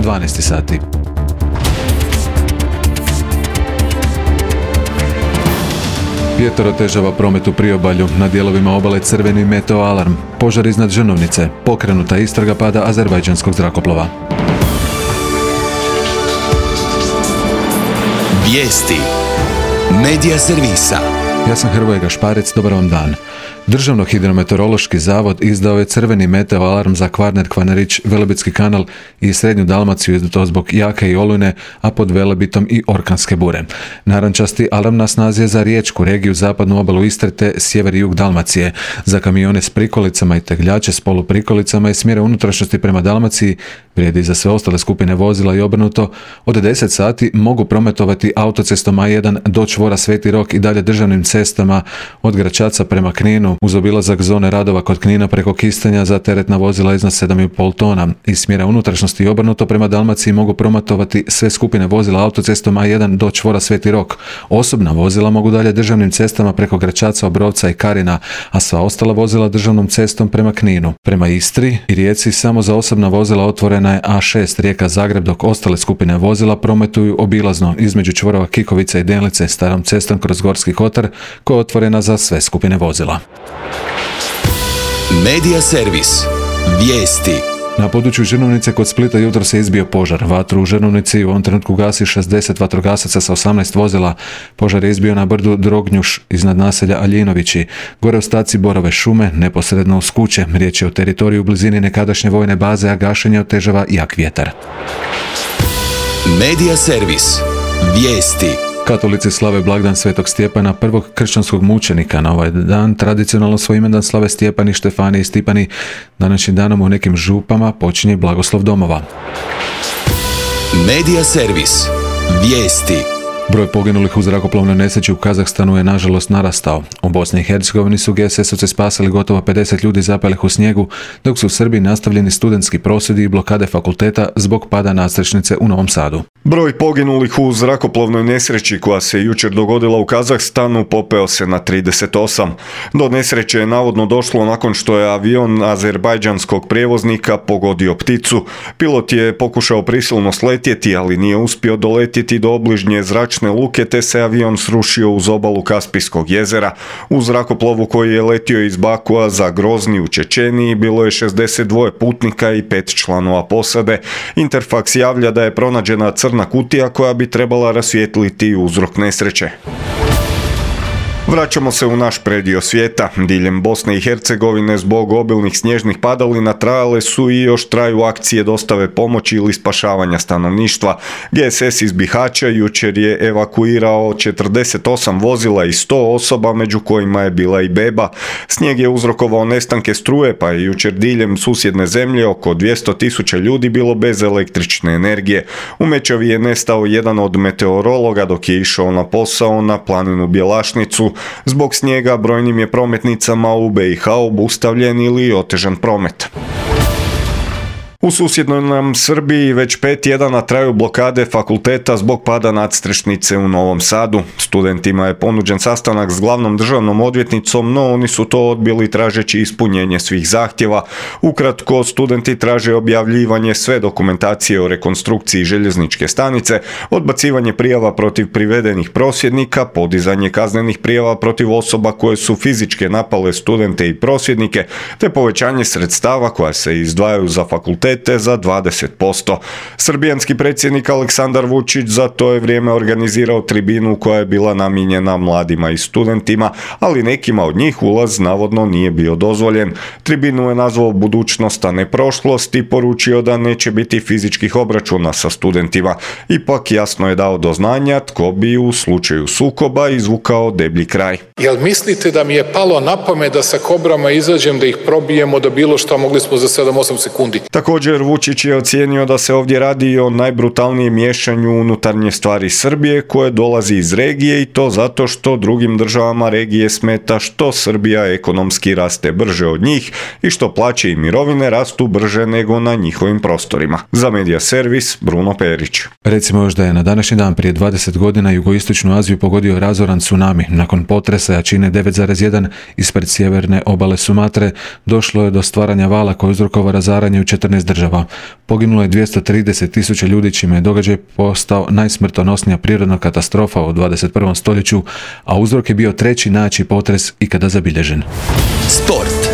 12 sati. Vjetar otežava promet u priobalju, na dijelovima obale crveni meteo alarm, požar iznad Žrnovnice, pokrenuta istraga pada azerbajdžanskog zrakoplova. Vijesti Medija servisa. Ja sam Hrvoje Gašparec, dobar vam dan. Državno hidrometeorološki zavod izdao je crveni meteo alarm za Kvarner, Kvarnerić, Velebitski kanal i srednju Dalmaciju i to zbog jake i olujne, a pod Velebitom i orkanske bure. Narančasti alarm na snazi je za riječku regiju, zapadnu obalu Istre te sjever i jug Dalmacije. Za kamione s prikolicama i tegljače s poluprikolicama i smjera unutrašnjosti prema Dalmaciji vrijedi za sve ostale skupine vozila i obrnuto. Od 10 sati mogu prometovati autocestom A1 do čvora Sveti Rok i dalje državnim cestama od Gračaca prema Kninu, uz obilazak zone radova kod Knina preko Kistanja za teretna vozila iznad 7,5 tona. Iz smjera unutrašnjosti i obrnuto prema Dalmaciji mogu prometovati sve skupine vozila autocestom A1 do čvora Sveti Rok. Osobna vozila mogu dalje državnim cestama preko Gračaca, Obrovca i Karina, a sva ostala vozila državnom cestom prema Kninu. Prema Istri i Rijeci samo za osobna vozila otvorena je A6 Rijeka-Zagreb, dok ostale skupine vozila prometuju obilazno između čvorova Kikovice i Denlice starom cestom kroz Gorski kotar koja je otvorena za sve skupine vozila. Medija servis. Vijesti. Na području Žrnovnice kod Splita jutro se izbio požar. Vatru u Žrnovnici u ovom trenutku gasi 60 vatrogasaca sa 18 vozila. Požar je izbio na brdu Drognjuš iznad naselja Aljinovići. Gore u staci Borove šume, neposredno uz kuće. Riječ je o teritoriju u blizini nekadašnje vojne baze, a gašenje otežava jak vjetar. Medija servis. Vijesti. Katolici slave blagdan Svetog Stjepana, prvog kršćanskog mučenika. Na ovaj dan tradicionalno svoj imendan slave Stjepani, Štefani i Stipani. Današnjim danom u nekim župama počinje blagoslov domova. Medija servis. Vijesti. Broj poginulih u zrakoplovnoj nesreći u Kazahstanu je nažalost narastao. U Bosni i Hercegovini su GSS-ovci spasili gotovo 50 ljudi zapalih u snijegu, dok su u Srbiji nastavljeni studentski prosvjedi i blokade fakulteta zbog pada nadstrešnice u Novom Sadu. Broj poginulih u zrakoplovnoj nesreći koja se jučer dogodila u Kazahstanu popeo se na 38. Do nesreće je navodno došlo nakon što je avion azerbajdžanskog prijevoznika pogodio pticu. Pilot je pokušao prisilno sletjeti, ali nije uspio doletjeti do obližnje zračne luke, te se avion srušio uz obalu Kaspijskog jezera. U zrakoplovu koji je letio iz Bakua za Grozni u Čečeniji bilo je 62 putnika i 5 članova posade. Interfax javlja da je pronađena crna kutija koja bi trebala rasvijetliti uzrok nesreće. Vraćamo se u naš predio svijeta. Diljem Bosne i Hercegovine zbog obilnih snježnih padalina trajale su i još traju akcije dostave pomoći ili spašavanja stanovništva. GSS iz Bihaća jučer je evakuirao 48 vozila i 100 osoba, među kojima je bila i beba. Snijeg je uzrokovao nestanke struje, pa je jučer diljem susjedne zemlje oko 200.000 ljudi bilo bez električne energije. U Mečavi je nestao jedan od meteorologa dok je išao na posao na planinu Bjelašnicu. Zbog snijega brojnim je prometnicama u BiH obustavljen ili otežan promet. U susjednoj nam Srbiji već 5 tjedana traju blokade fakulteta zbog pada nadstrešnice u Novom Sadu. Studentima je ponuđen sastanak s glavnom državnom odvjetnicom, no oni su to odbili tražeći ispunjenje svih zahtjeva. Ukratko, studenti traže objavljivanje sve dokumentacije o rekonstrukciji željezničke stanice, odbacivanje prijava protiv privedenih prosvjednika, podizanje kaznenih prijava protiv osoba koje su fizičke napale studente i prosvjednike, te povećanje sredstava koja se izdvajaju za fakultet za 20%. Srbijanski predsjednik Aleksandar Vučić za to je vrijeme organizirao tribinu koja je bila namijenjena mladima i studentima, ali nekima od njih ulaz navodno nije bio dozvoljen. Tribinu je nazvao budućnost, a ne prošlost i poručio da neće biti fizičkih obračuna sa studentima. Ipak jasno je dao do znanja tko bi u slučaju sukoba izvukao deblji kraj. Jel mislite da mi je palo na pamet da sa kobrama izađem, da ih probijemo, da bilo što mogli smo za 7-8 sekundi? Također Vučić je ocijenio da se ovdje radi o najbrutalnijem miješanju u unutarnje stvari Srbije koje dolazi iz regije i to zato što drugim državama regije smeta što Srbija ekonomski raste brže od njih i što plaće i mirovine rastu brže nego na njihovim prostorima. Za Medija servis Bruno Perić. Recimo još da je na današnji dan prije 20 godina jugoistočnu Aziju pogodio razoran tsunami. Nakon potresa jačine 9,1 ispred sjeverne obale Sumatre došlo je do stvaranja vala koji uzrokovao razaranje u 14 država. Poginulo je 230.000 ljudi, čime je događaj postao najsmrtonosnija prirodna katastrofa u 21. stoljeću, a uzrok je bio treći najjači potres ikada zabilježen. Sport.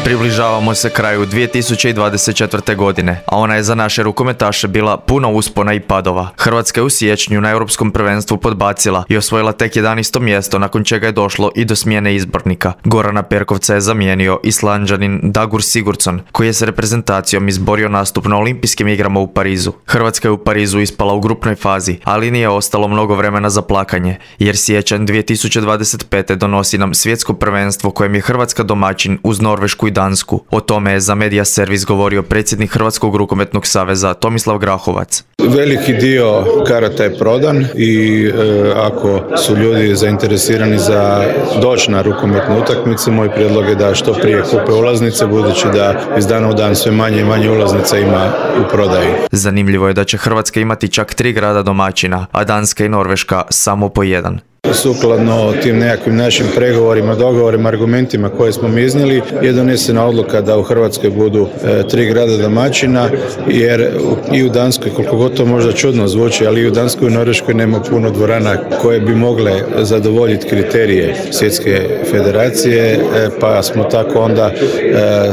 Približavamo se kraju 2024. godine, a ona je za naše rukometaše bila puno uspona i padova. Hrvatska je u siječnju na Europskom prvenstvu podbacila i osvojila tek 11. mjesto, nakon čega je došlo i do smjene izbornika. Gorana Perkovca je zamijenio Islanđanin Dagur Sigurdsson, koji je s reprezentacijom izborio nastup na Olimpijskim igrama u Parizu. Hrvatska je u Parizu ispala u grupnoj fazi, ali nije ostalo mnogo vremena za plakanje, jer siječanj 2025. donosi nam svjetsko prvenstvo kojem je Hrvatska domaćin uz Norvešku i Dansku. O tome je za Media Servis govorio predsjednik Hrvatskog rukometnog saveza Tomislav Grahovac. Veliki dio karata je prodan i ako su ljudi zainteresirani za doći na rukometne utakmice, moj prijedlog je da što prije kupe ulaznice, budući da iz dana u dan sve manje i manje ulaznica ima u prodaji. Zanimljivo je da će Hrvatska imati čak 3 grada domaćina, a Danska i Norveška samo po 1. Sukladno tim nekakvim našim pregovorima, dogovorima, argumentima koje smo mi iznijeli, je donesena odluka da u Hrvatskoj budu 3 grada domaćina, jer i u Danskoj, koliko god to možda čudno zvuči, ali i u Danskoj i Norveškoj nema puno dvorana koje bi mogle zadovoljiti kriterije Svjetske federacije, pa smo tako onda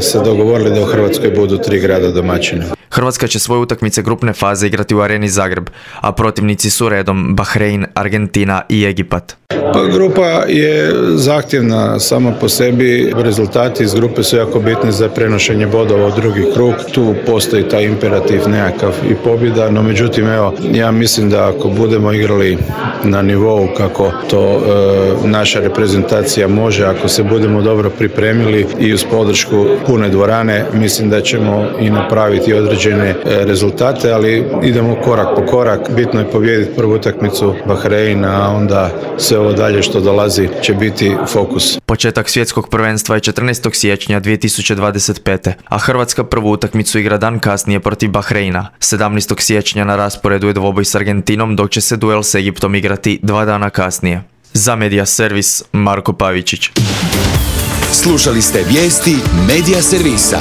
se dogovorili da u Hrvatskoj budu 3 grada domaćina. Hrvatska će svoje utakmice grupne faze igrati u Areni Zagreb, a protivnici su redom Bahrein, Argentina i Egipat. Pa grupa je zahtjevna sama po sebi, rezultati iz grupe su jako bitni za prenošenje bodova u drugi krug, tu postoji taj imperativ nekakav i pobjeda, no međutim evo, ja mislim da ako budemo igrali na nivou kako to naša reprezentacija može, ako se budemo dobro pripremili i uz podršku pune dvorane, mislim da ćemo i napraviti određene rezultate, ali idemo korak po korak, bitno je pobijediti prvu utakmicu Bahreina, a onda sve ovo dalje što dolazi će biti fokus. Početak svjetskog prvenstva je 14. siječnja 2025. a Hrvatska prvu utakmicu igra dan kasnije protiv Bahreina. 17. siječnja na rasporedu je dvoboj s Argentinom, dok će se duel s Egiptom igrati 2 dana kasnije. Za Media Servis, Marko Pavičić. Slušali ste vijesti Media Servisa.